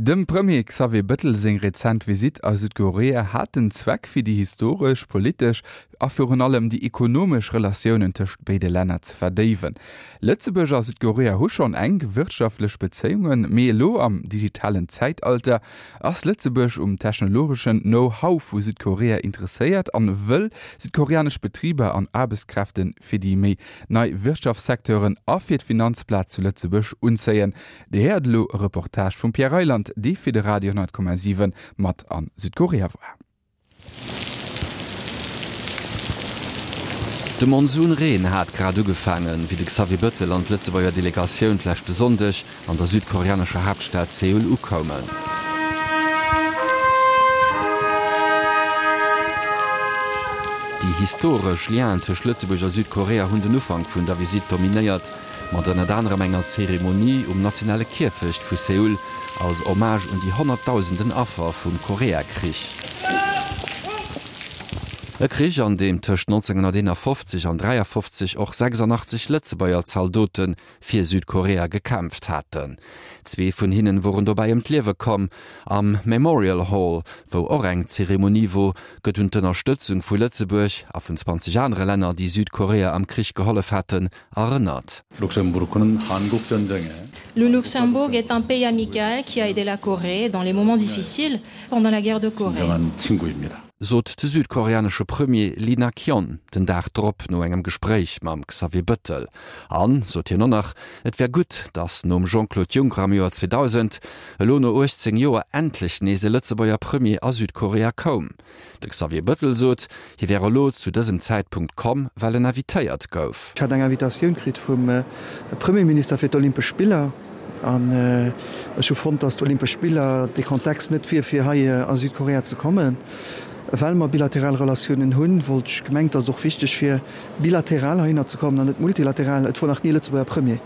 Dem Premier Xavier Bëttel seng rezent Visitt a Südkorea hat den Zweck fir déi historesch, politesch a virun allem déi ekonomesch Relatiounen tëscht béide Länner ze verdéiwen. Lëtzebuerg a Südkorea hu schonn enk wirtschaftlech Bezéiungen, mee elo am digitalen Zäitalter ass Lëtzebuerg um technologeschen Know-how vu Südkorea interesséiert an wëll südkoreanesch Betriber an Aarbechtskräfte fir déi méi nei Wirtschaftssecteuren a fir d'Finanzplaz zu Lëtzebuerg unzéien. Dir héiert elo e Reportage vum Pierre Reyland, dee fir de Radio 10,7 mat a Südkorea war. De Monsunreen hat grad ugefaangen, wéi de Xavier Bëttel an d'Lëtzebuerger Delegatioun d'leschte Sonndeg an der südkoreanescher Haaptstad Seoul ukoumen. Déi historesch Lienen tëscht Lëtzebuerg a Südkorea hunn den Ufank vun der Visitt dominéiert, mat ënnert anerem enger Zeremonie um nationale Kierfecht vu Seoul als Hommage un déi honnertdausenden Affer vum Koreakrich. E Krich, an deem tëscht 1951 an 53 och 86 Lëtzebuerger Zaldote fir Südkorea gekämpft haten. Zwee vun hinnen woren dobäi ëm d'Liewe komm. Am Memorial Hall, wou och eng Zeremonie wor, gëtt un d'Ënnerstëtzung vu Lëtzebuerg a vun 20 anere Länner, déi Südkorea am Krich gehollef haten, erënnert. Le Luxembourg est un pays amical qui a aidé la Corée dans les moments difficiles pendant la guerre de Corée. Sot de südkoreanesche Premier Lee Nak-yeon den Dag drop no engem Gespréich mam Xavier Bëttel. An, sot hien och nach, et wär gutt, datt nom Jean-Claude Juncker am Joer 2000 elo no 18 Joer endlech nees e Lëtzebuerger Premier a Südkorea koum. De Xavier Bëttel sot, hie wär elo zu dësem Zäitpunkt komm, well en invitéiert gouf. Ech hat eng Invitatioun kritt vum Premierminister fir d'Olympesch Spiller an ech hu fonnt, datt d'Olympesch Spiller dee Kontext net wier, fir hei a Südkorea ze kommen. Well mer bilateral Relatiounen hunn, wollt ech gemengt, datt et och wichteg wier, bilateral heihinner ze kommen an net multilateral. Et wor nach ni e Lëtzebuerger Premier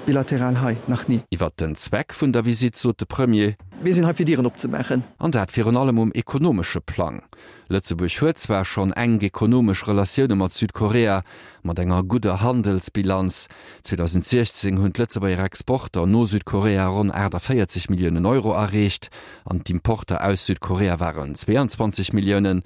bilateral hei, nach ni. Iwwert den Zweck vun der Visitt sot de Premier. Mir sinn hei fir Dieren opzemaachen. An dat virun allem um ekonomesche Plang. Lëtzebuerg huet zwar schonn enk ekonomesch Relatioune mat Südkorea, mat enger gudder Handelsbilanz. 2016 hunn d'Lëtzebuerger Exporter no Südkorea ronn 48 Milliounen Euro erreecht an d'Importer aus Südkorea waren 22 Milliounen.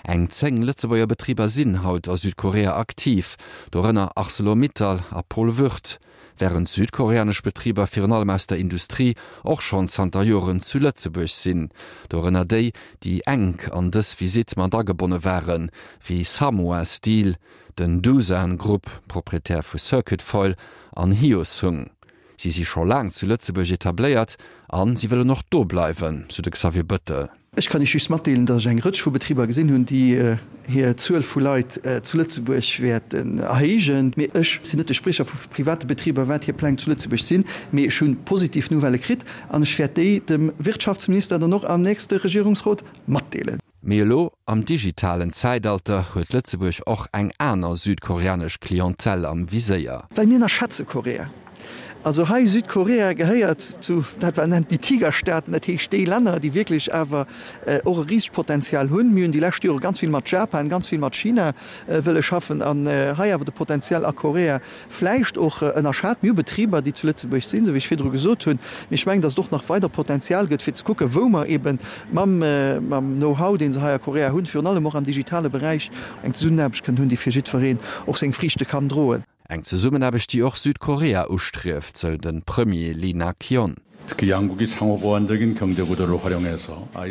Eng 10 Lëtzebuerger Betriber sinn haut a Südkorea aktiv, dorënner Arcelor-Mittal a Paul Würth. Wärend südkoreanesch Betriber virun allem aus der Industrie och schonn zanter Joren zu Lëtzebuerg sinn, dorënner déi, déi enk an dës Visitt mat agebonne waren, wéi Samhwa Steel, den Doosan Group, Proprietär vu Circuit Foil, an Hyosung. Si si scho laang zu Lëtzebuerg etabléiert a si wëllen och do bleiwen, sou de Xavier Bëttel. Ech kann Iech just matdeelen, datt ech eng Rëtsch vu Betriber gesinn hunn, déi hir Zuel vu Leit zu Lëtzebuerg wäerten erhéijen. Mee ech sinn net de Spriecher vu private Betriber, wat hir Pläng zu Lëtzebuerg sinn. Mee ech hu positiv Nouvellë kritt an ech wäert déi dem Wirtschaftsminister dann och am nächste Regierungsrot matdeelen. Mee elo, am digitalen Zäitalter, huet Lëtzebuerg och eng aner südkoreanesch Clientèle am Viséier. Well mir ënnerschätze Korea. Also hei, Südkorea gehéiert zu dat wat een nennt déi Tigerstaaten, dat heescht déi Länner, déi wierklech awer och e risegt Potenzial hunn. Mir hunn déi lescht Jore ganz vill mat Japan, ganz vill mat China wëlle schaffen an hei awer de Potenzial a Korea vläicht och ënnerschat. Mir hu Betriber, déi zu Lëtzebuerg sinn, esou wéi ech virdru gesot hunn, mee ech mengen, datt et och nach weider Potenzial gëtt, fir ze kucken, wou mer eebe mam Know-how, dee se hei a Korea hunn, virun allem och am digitale Beräich, eng Zesummenaarbecht kënnen hunn, déi fir jiddwereen och seng Friichte kann droen. Eng Zesummenaarbecht, déi och Südkorea ustrieft, sou de Premier Lee Nak-yeon.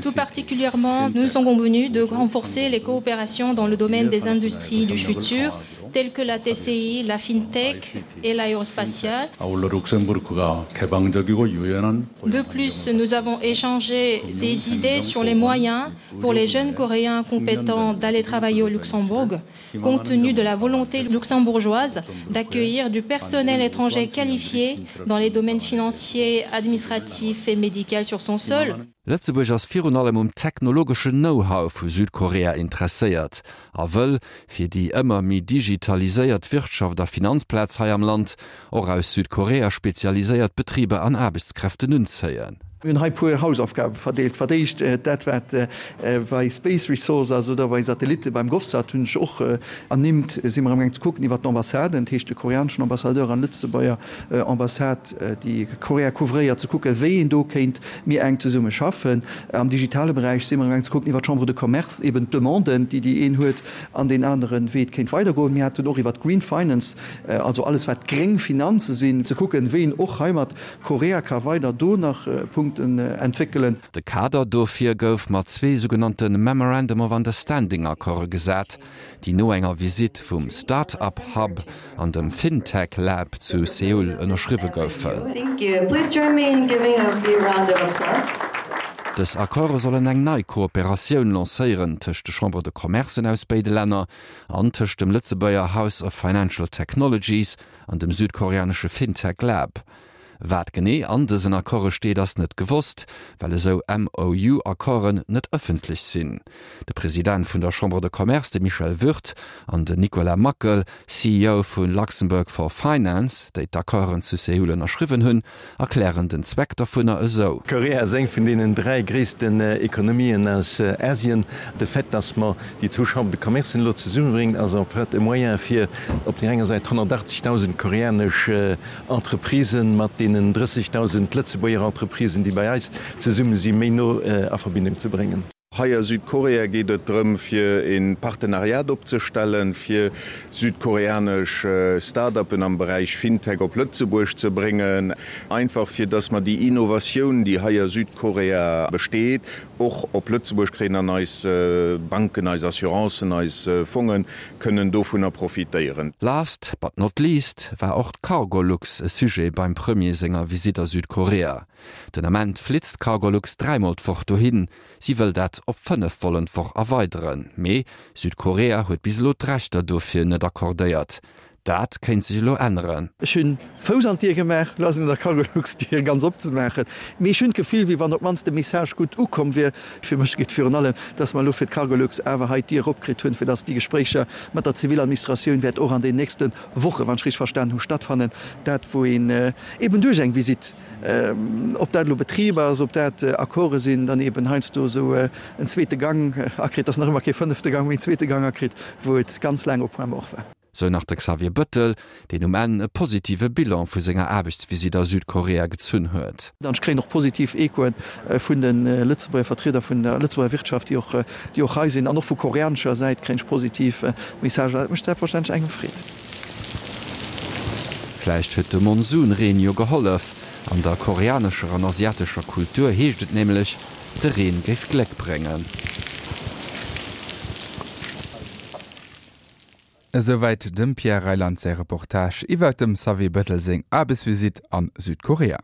Tout particulièrement, nous sommes convenus de renforcer les coopérations dans le domaine des industries du futur, telles que la TCI, la fintech et l'aérospatiale. De plus, nous avons échangé des idées sur les moyens pour les jeunes Coréens compétents d'aller travailler au Luxembourg, compte tenu de la volonté luxembourgeoise d'accueillir du personnel étranger qualifié dans les domaines financiers, administratifs et médical sur son sol. Lëtzebuerg ass virun allem um technologeschen Know-how vu Südkorea interesséiert a wëll, fir déi ëmmer méi digitaliséiert Wirtschaft a Finanzplaz hei am Land, och aus Südkorea spezialiséiert Betriber an Aarbechtskräften unzéien. Mir hunn hei puer Hausaufgabe verdeelt. Fir d'éischt dat, wat bei Space Resource ass oder bei Satellitte beim GovSat hunn ech och ernimmt, si mer amgaang ze kucken iwwert d'Ambassaden, dat heescht de koreaneschen Ambassadeur an Lëtzebuerger Ambassade, déi Korea couvréiert, ze kucken, wéi een do kéint méi enk zesumme schaffen. Am digitale Beräich si mer amgaang ze kucken iwwert d'Chambre de Commerce, eben d'Demanden, déi déi een huet an deen aneren, wéi et kéint weidergoen. Mir haten och iwwert d'Green Finance, also alles wat gréng Finanze sinn, ze kucken, wéi een och hei mat Korea ka weider do nach Punkten entwéckelen. De Kader dofir gouf mat zwee sougenannte Memorandum of Understanding-Accorde gesat, déi no enger Visitt vum Start-up Hub an dem FinTech Lab zu Seoul ënnerschriwwe goufen. Dës Accorde sollen eng nei Kooperatioun lancéieren tëscht de Chambres de Commercen aus béide Länner an tëscht dem Lëtzebuerger House of Financial Technologies an dem südkoreanesche Fintech Lab. Wat genee an dësen Accorde steet, ass net gewosst, well esou MOU-Accorden net ëffentlech sinn. De President vun der Chambre de Commerce, de Michel Würth, an den Nicolas Mackel, CEO vu Luxembourg for Finance, déi d'Accorden zu Seoul ënnerschriwwen hunn, erklären den Zweck dovunner esou. Korea ass eng vun deenen 3 gréissten Ekonomien aus Asien. De Fait, dass mer déi zwou Chambres de Commercen elo zesummebréngt, ass en fait e Moyen fir op där enger Säit 180.000 koreanesch Entreprisen mat deenen 30.000 Lëtzebuerger Entreprisen, déi bei eis zesumme sinn, méi no a Verbindung ze bréngen. Hei a Südkorea geet et drëm, fir e Partenariat opzestellen, fir südkoreanesch Start-upen am Beräich Fintech op Lëtzebuerg ze bréngen, einfach fir dass mer déi Innovatioun, déi hei a Südkorea besteet, och op Lëtzebuerg kréien an eis Banken, eis Assurancen, eis Fonge kënnen dovunner profitéieren. Last but not least war och d'Cargolux e Sujet beim Premier senger Visitt a Südkorea. Den Ament flitt d'Cargolux dräimol d'Woch dohin. Si wëll dat op 5 Vollen d'Woch erweideren, mee Südkorea huet bis elo d'Rechter dofir net accordéiert. Dat kéint sech elo änneren. Ech hunn Fouss an d'Dier gemaach, elo ass et un der Cargolux d'Dier ganz opzemaachen. Mee ech hunn d'Gefill, wéi wann op d'mannst de Message gutt ukomm wier. Fir mech geet virun allem, dass mer elo fir d'Cargolux awer hei d'Dier eropkritt hunn, fir dass déi Gespréicher mat der Ziviladministratioun wäert och an den nächste Wochen, wann ech richteg verstanen hu, stattfannen. Dat wou een eben duerch eng Visitt, ob dat elo Betriber ass, ob dat Accorde sinn, dann eben heiansdo esou en zweete Gang akritt, ass nach ëmmer kee fënnefte Gang, mee en zweete Gang akritt, wou et ganz laang au point mort war. Sou nach de Xavier Bëttel, deen um Enn e positive Bilan vu senger Aarbechtsvisitt a Südkorea gezunn huet. An ech kréien och positiv Echoe vun de Lëtzebuerger Vertrieder vun der Lëtzebuerger Wirtschaft, déi och, déi och hei sinn. An och vu koreanescher Säit kréien ech positiv Messagen. An dat mécht selbstverständlech engem Freed. Vläicht huet de Monsunreen jo gehollef. An der koreanescher an asiatescher Kultur heescht et nämlech, de Reen géif Gléck bréngen. Esouwäit dem Pierre Reyland säi Reportage iwwert dem Xavier Bettel seng Aarbechtsvisitt a Südkorea.